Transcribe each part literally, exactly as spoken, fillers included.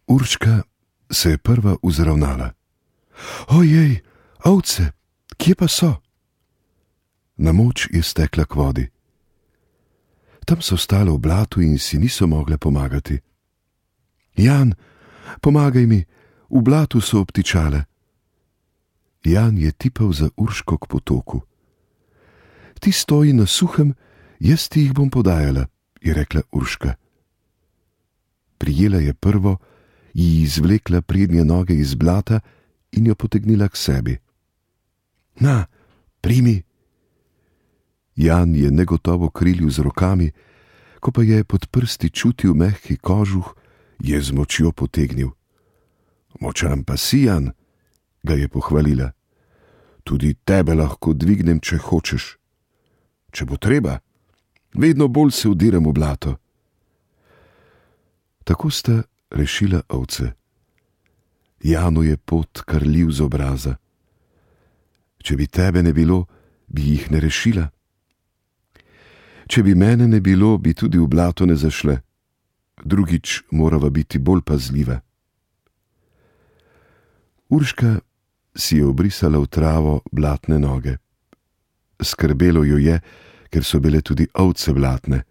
Urška se je prva vzravnala. Ojej, ovce, kje pa so? Na moč je stekla k vodi. Tam so stale v blatu in si niso mogle pomagati. Jan, pomagaj mi, v blatu so obtičale. Jan je tipal za Urško k potoku. Ti stoji na suhem, jaz ti jih bom podajala, je rekla Urška. Prijela je prvo, ji izvlekla prednje noge iz blata in jo potegnila k sebi. Na, primi. Jan je negotovo krilil z rokami, ko pa je pod prsti čutil mehki kožuh, je z močjo potegnil. Močan pa si, Jan, ga je pohvalila. Tudi tebe lahko dvignem, če hočeš. Če bo treba, vedno bolj se vdiram v blato. Tako sta rešila ovce. Janu je pot krljiv z obraza. Če bi tebe ne bilo, bi jih ne rešila. Če bi mene ne bilo, bi tudi v blato ne zašle. Drugič morava biti bolj pazljiva. Urška si je obrisala v travo blatne noge. Skrbelo jo je, ker so bile tudi ovce blatne.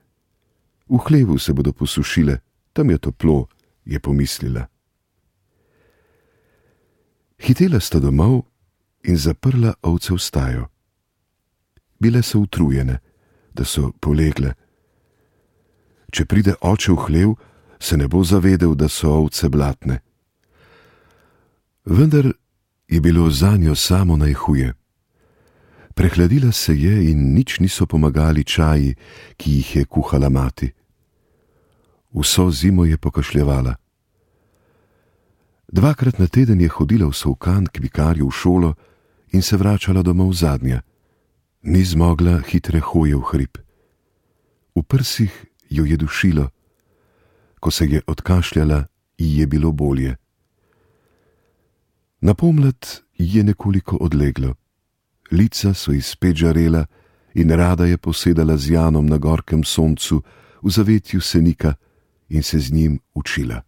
V hlevu se bodo posušile, tam je toplo, je pomislila. Hitela sta domov in zaprla ovce v stajo. Bile so utrujene, da so polegle. Če pride oče v hlev, se ne bo zavedel, da so ovce blatne. Vendar je bilo zanjo samo najhuje. Prehladila se je in nič niso pomagali čaji, ki jih je kuhala mati. Vso zimo je pokašljevala. Dvakrat na teden je hodila v Solkan k vikarju v šolo in se vračala domov zadnja. Ni zmogla hitre hoje v hrib. V prsih jo je dušilo. Ko se je odkašljala, ji je bilo bolje. Na pomlad ji je nekoliko odleglo. Lica so ji spet žarela in rada je posedala z Janom na gorkem soncu v zavetju senika in se z njim učila.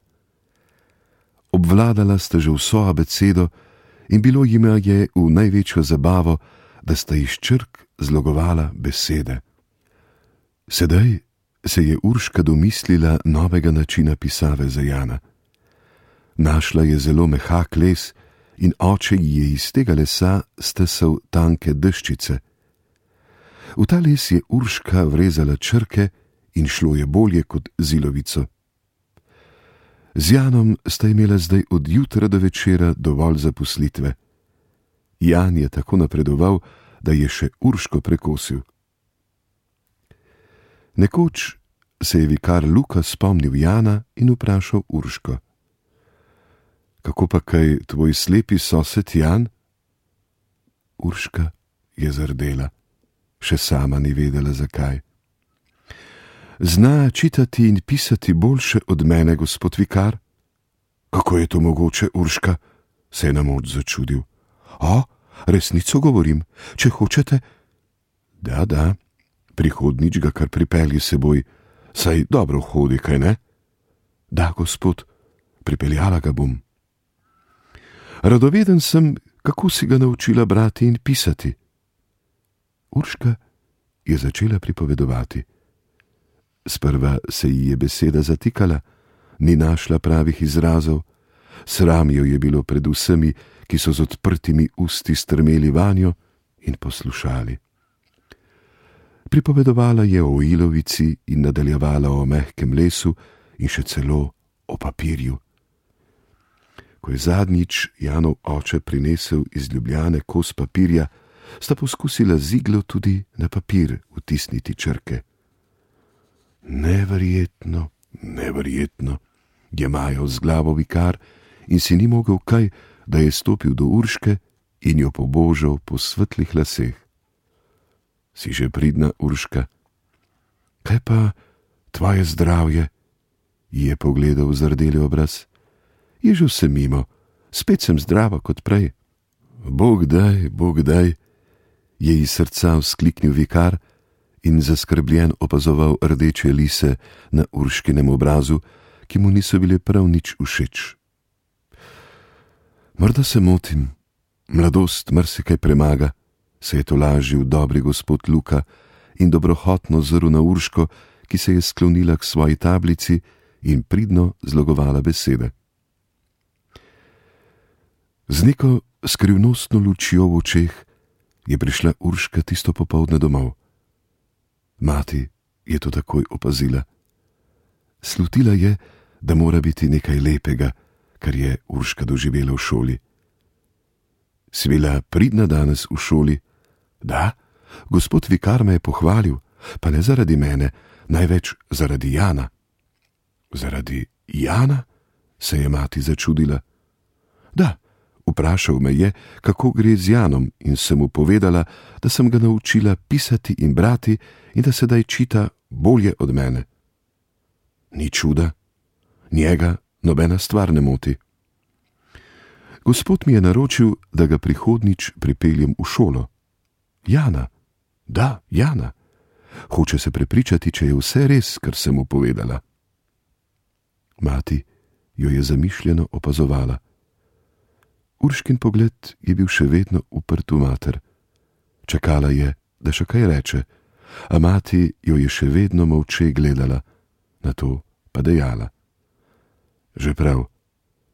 Obvladala sta že vso abecedo in bilo jima je v največjo zabavo, da sta iz črk zlogovala besede. Sedaj se je Urška domislila novega načina pisave za Jana. Našla je zelo mehak les in oče ji je iz tega lesa stesal tanke deščice. V ta les je Urška vrezala črke in šlo je bolje kot z ilovico. Z Janom sta imela zdaj od jutra do večera dovolj zaposlitve. Jan je tako napredoval, da je še Urško prekosil. Nekoč se je vikar Luka spomnil Jana in vprašal Urško. Kako pa kaj tvoj slepi sosed Jan? Urška je zardela, še sama ni vedela zakaj. Zna čitati in pisati boljše od mene, gospod vikar? Kako je to mogoče, Urška? Se je na moč začudil. O, resnico govorim, če hočete. Da, da, prihodnič ga kar pripelji seboj, saj dobro hodi, kaj ne? Da, gospod, pripeljala ga bom. Radoveden sem, kako si ga naučila brati in pisati. Urška je začela pripovedovati. Sprva se ji je beseda zatikala, ni našla pravih izrazov, sram jo je bilo pred vsemi, ki so z odprtimi usti strmeli vanjo in poslušali. Pripovedovala je o ilovici in nadaljevala o mehkem lesu in še celo o papirju. Ko je zadnjič Janov oče prinesel iz Ljubljane kos papirja, sta poskusila z iglo tudi na papir vtisniti črke. Neverjetno, neverjetno, je majal z glavo vikar in si ni mogel kaj, da je stopil do Urške in jo pobožal po svetlih laseh. Si že pridna, Urška? Kaj pa tvoje zdravje? Ji je pogledal v zardeli obraz. Je že vse mimo, spet sem zdrava kot prej. Bog daj, Bog daj, je iz srca vzkliknil vikar in zaskrbljen opazoval rdeče lise na Urškinem obrazu, ki mu niso bile prav nič všeč. Morda se motim, mladost marsikaj premaga, se je tolažil dobri gospod Luka in dobrohotno zrl na Urško, ki se je sklonila k svoji tablici in pridno zlogovala besede. Z neko skrivnostno lučjo v očeh je prišla Urška tisto popoldne domov. Mati je to takoj opazila. Slutila je, da mora biti nekaj lepega, kar je Urška doživela v šoli. Si bila pridna danes v šoli? Da, gospod vikar me je pohvalil, pa ne zaradi mene, največ zaradi Jana. Zaradi Jana? Se je mati začudila. Da, vprašal me je, kako gre z Janom, in sem mu povedala, da sem ga naučila pisati in brati in da sedaj čita bolje od mene. Ni čuda, njega nobena stvar ne moti. Gospod mi je naročil, da ga prihodnič pripeljem v šolo. Jana, da, Jana. Hoče se prepričati, če je vse res, kar sem mu povedala. Mati jo je zamišljeno opazovala. Urškin pogled je bil še vedno uprt v mater. Čakala je, da še kaj reče, a mati jo je še vedno molče gledala, nato pa dejala. Že prav,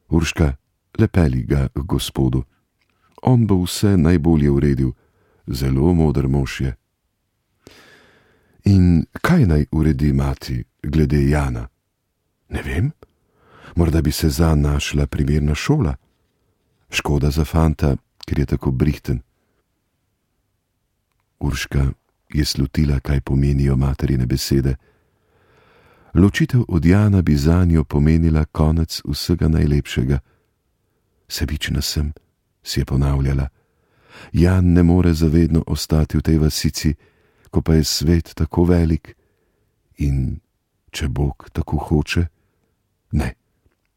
Urška, lepeli ga k gospodu. On bo vse najbolje uredil, zelo moder mož je. In kaj naj uredi mati glede Jana? Ne vem, morda bi se zanj našla primerna šola. Škoda za fanta, ker je tako brihten. Urška je slutila, kaj pomenijo materine besede. Ločitev od Jana bi zanjo pomenila konec vsega najlepšega. Sebična sem, si je ponavljala. Jan ne more zavedno ostati v tej vasici, ko pa je svet tako velik. In če Bog tako hoče, ne,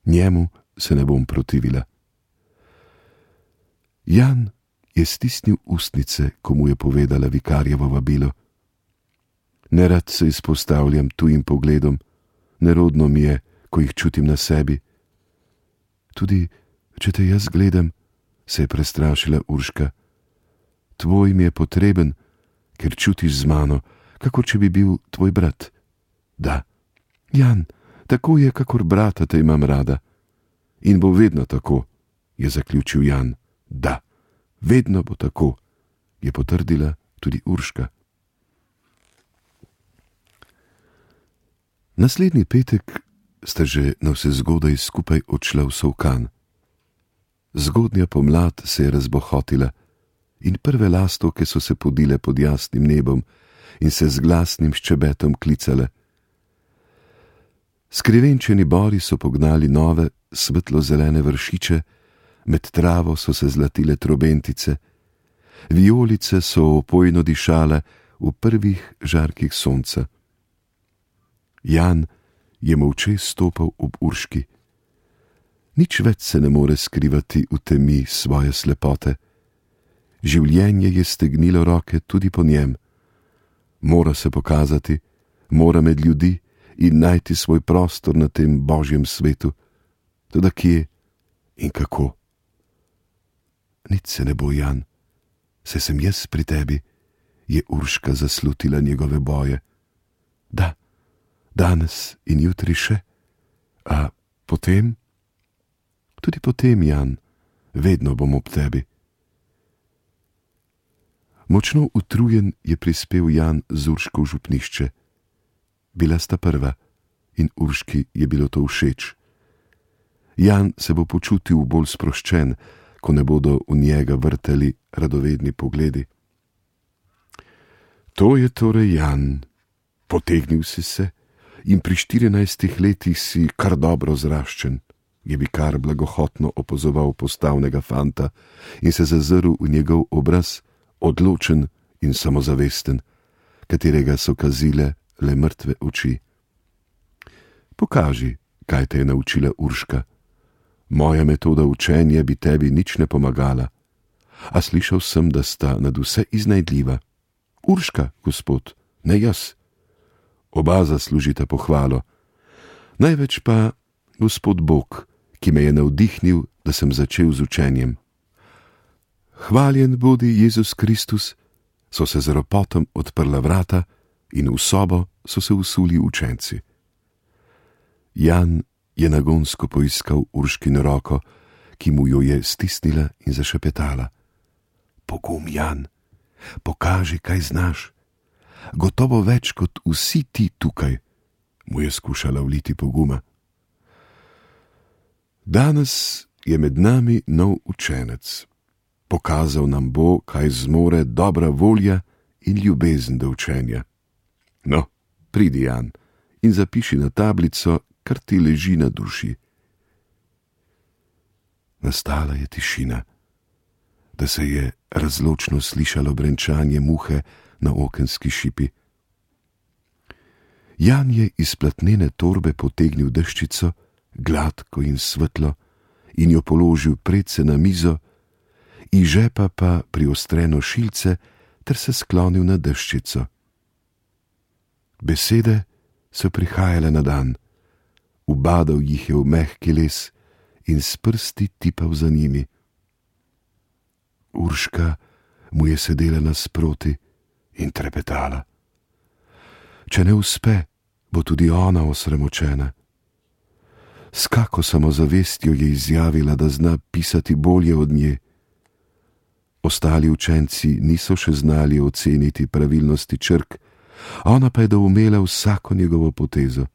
njemu se ne bom protivila. Jan je stisnil ustnice, ko mu je povedala vikarjevo vabilo. Nerad se izpostavljam tujim pogledom, nerodno mi je, ko jih čutim na sebi. Tudi, če te jaz gledam, se je prestrašila Urška. Tvoj mi je potreben, ker čutiš z mano, kakor če bi bil tvoj brat. Da, Jan, tako je, kakor brata te imam rada. In bo vedno tako, je zaključil Jan. Da, vedno bo tako, je potrdila tudi Urška. Naslednji petek sta že navsezgodaj skupaj odšla v Solkan. Zgodnja pomlad se je razbohotila in prve lastovke so se podile pod jasnim nebom in se z glasnim ščebetom klicale. Skrivenčeni bori so pognali nove, svetlo-zelene vršiče, med travo so se zlatile trobentice, vijolice so opojno dišale v prvih žarkih sonca. Jan je molče stopal ob Urški. Nič več se ne more skrivati v temi svoje slepote. Življenje je stegnilo roke tudi po njem. Mora se pokazati, mora med ljudi in najti svoj prostor na tem božjem svetu. Toda kje in kako? Nič se ne bo, Jan, saj sem jaz pri tebi, je Urška zaslutila njegove boje. Da, danes in jutri še, a potem? Tudi potem, Jan, vedno bom ob tebi. Močno utrujen je prispel Jan z Urško v župnišče. Bila sta prva in Urški je bilo to všeč. Jan se bo počutil bolj sproščen, ko ne bodo v njega vrteli radovedni pogledi. To je torej Jan, potegnil si se in pri štirinajstih letih si kar dobro zraščen, je vikar blagohotno opozoval postavnega fanta in se zazrl v njegov obraz, odločen in samozavesten, katerega so kazile le mrtve oči. Pokaži, kaj te je naučila Urška. Moja metoda učenja bi tebi nič ne pomagala, a slišal sem, da sta nad vse iznajdljiva. Urška, gospod, ne jaz. Oba zaslužita pohvalo. Največ pa gospod Bog, ki me je navdihnil, da sem začel z učenjem. Hvaljen bodi Jezus Kristus, so se z ropotom odprla vrata in v sobo so se vsuli učenci. Jan je nagonsko poiskal Urškino roko, ki mu jo je stisnila in zašepetala. Pogum, Jan, pokaži, kaj znaš. Gotovo več kot vsi ti tukaj, mu je skušala vliti poguma. Danes je med nami nov učenec. Pokazal nam bo, kaj zmore dobra volja in ljubezen do učenja. No, pridi, Jan, in zapiši na tablico, kar ti leži na duši. Nastala je tišina, da se je razločno slišalo brenčanje muhe na okenski šipi. Jan je iz platnene torbe potegnil deščico, gladko in svetlo, in jo položil predse na mizo, iz žepa pa priostreno šilce ter se sklonil na deščico. Besede so prihajale na dan, ubadal jih je v mehki les in s prsti tipal za njimi. Urška mu je sedela nasproti in trepetala. Če ne uspe, bo tudi ona osramočena. S kako samozavestjo je izjavila, da zna pisati bolje od nje. Ostali učenci niso še znali oceniti pravilnosti črk, ona pa je doumela vsako njegovo potezo.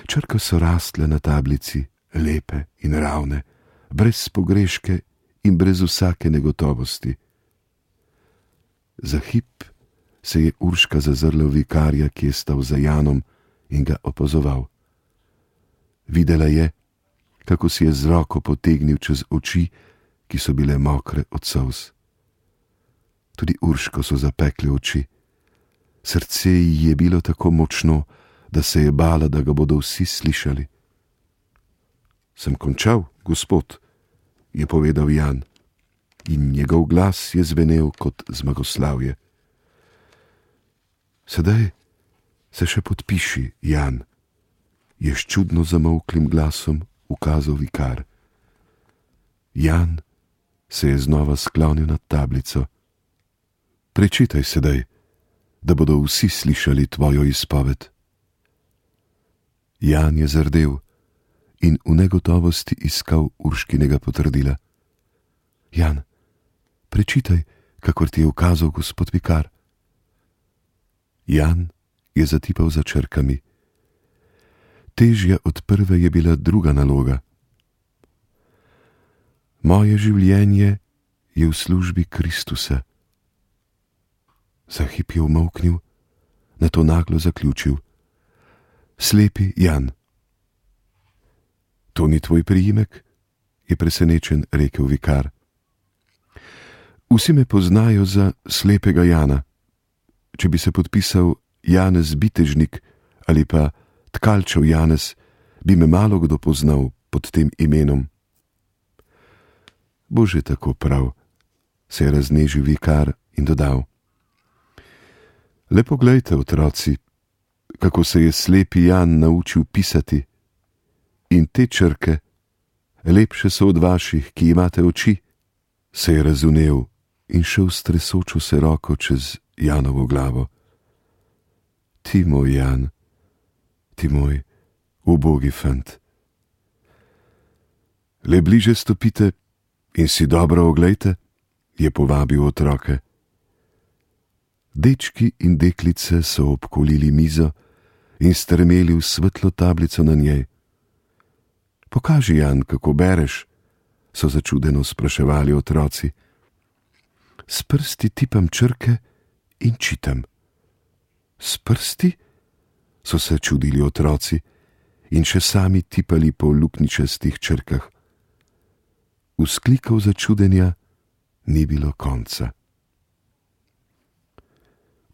Črke so rastle na tablici, lepe in ravne, brez pogreške in brez vsake negotovosti. Za hip se je Urška zazrla v vikarja, ki je stal za Janom in ga opazoval. Videla je, kako si je z roko potegnil čez oči, ki so bile mokre od solz. Tudi Urško so zapekle oči. Srce ji je bilo tako močno, da se je bala, da ga bodo vsi slišali. Sem končal, gospod, je povedal Jan, in njegov glas je zvenel kot zmagoslavje. Sedaj se še podpiši, Jan, je s čudno zamolklim glasom ukazal vikar. Jan se je znova sklonil nad tablico. Prečitaj sedaj, da bodo vsi slišali tvojo izpoved. Jan je zardel in v negotovosti iskal Urškinega potrdila. Jan, prečitaj, kakor ti je ukazal gospod vikar. Jan je zatipal za črkami. Težja od prve je bila druga naloga. Moje življenje je v službi Kristusa. Za hip je umolknil, nato naglo zaključil. Slepi Jan. To ni tvoj priimek? Je presenečen rekel vikar. Vsi me poznajo za slepega Jana. Če bi se podpisal Janez Bitežnik ali pa Tkalčev Janez, bi me malo kdo poznal pod tem imenom. Bože, tako prav, se je raznežil vikar in dodal. Le poglejte, otroci, kako se je slepi Jan naučil pisati. In te črke, lepše so od vaših, ki imate oči, se je razumel in šel s tresočo se roko čez Janovo glavo. Ti moj Jan, ti moj ubogi fant. Le bliže stopite in si dobro oglejte, je povabil otroke. Dečki in deklice so obkolili mizo in strmeli v svetlo tablico na njej. Pokaži, Jan, kako bereš, so začudeno spraševali otroci. S prsti tipam črke in čitam. S prsti? So se čudili otroci in še sami tipali po luknjičastih črkah. Vzklikov začudenja ni bilo konca.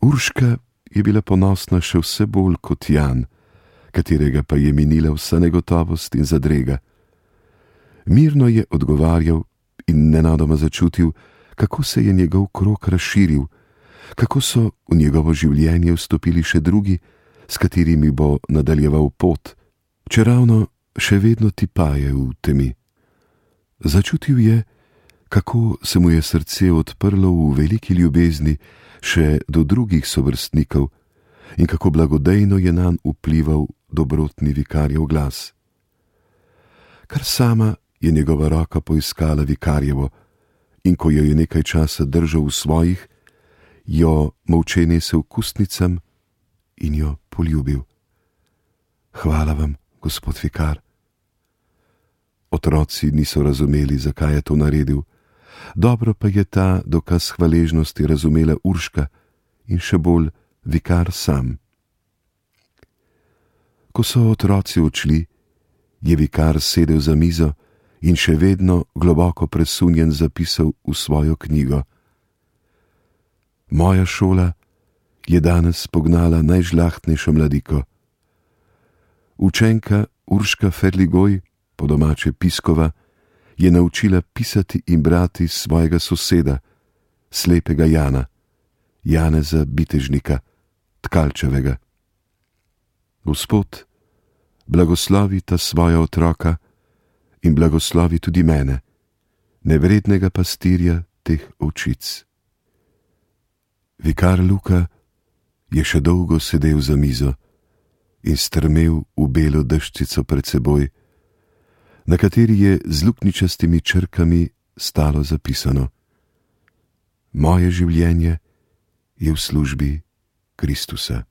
Urška je bila ponosna še vse bolj kot Jan, katerega pa je minila vsa negotovost in zadrega. Mirno je odgovarjal in nenadoma začutil, kako se je njegov krog razširil, kako so v njegovo življenje vstopili še drugi, s katerimi bo nadaljeval pot, čeravno še vedno tipaje v temi. Začutil je, kako se mu je srce odprlo v veliki ljubezni še do drugih sovrstnikov in kako blagodejno je nanj vplival dobrotni vikarjev glas. Kar sama je njegova roka poiskala vikarjevo in ko jo je nekaj časa držal v svojih, jo molče nesel k ustnicam in jo poljubil. Hvala vam, gospod vikar. Otroci niso razumeli, zakaj je to naredil, dobro pa je ta dokaz hvaležnosti razumela Urška in še bolj vikar sam. Ko so otroci odšli, je vikar sedel za mizo in še vedno globoko presunjen zapisal v svojo knjigo. Moja šola je danes pognala najžlahtnejšo mladiko. Učenka Urška Ferligoj, po domače Piskova, je naučila pisati in brati svojega soseda, slepega Jana, Janeza Bitežnika, Tkalčevega. Gospod, blagoslovi ta svoja otroka in blagoslovi tudi mene, nevrednega pastirja teh ovčic. Vikar Luka je še dolgo sedel za mizo in strmel v belo deščico pred seboj, na kateri je z luknjičastimi črkami stalo zapisano: Moje življenje je v službi Kristusa.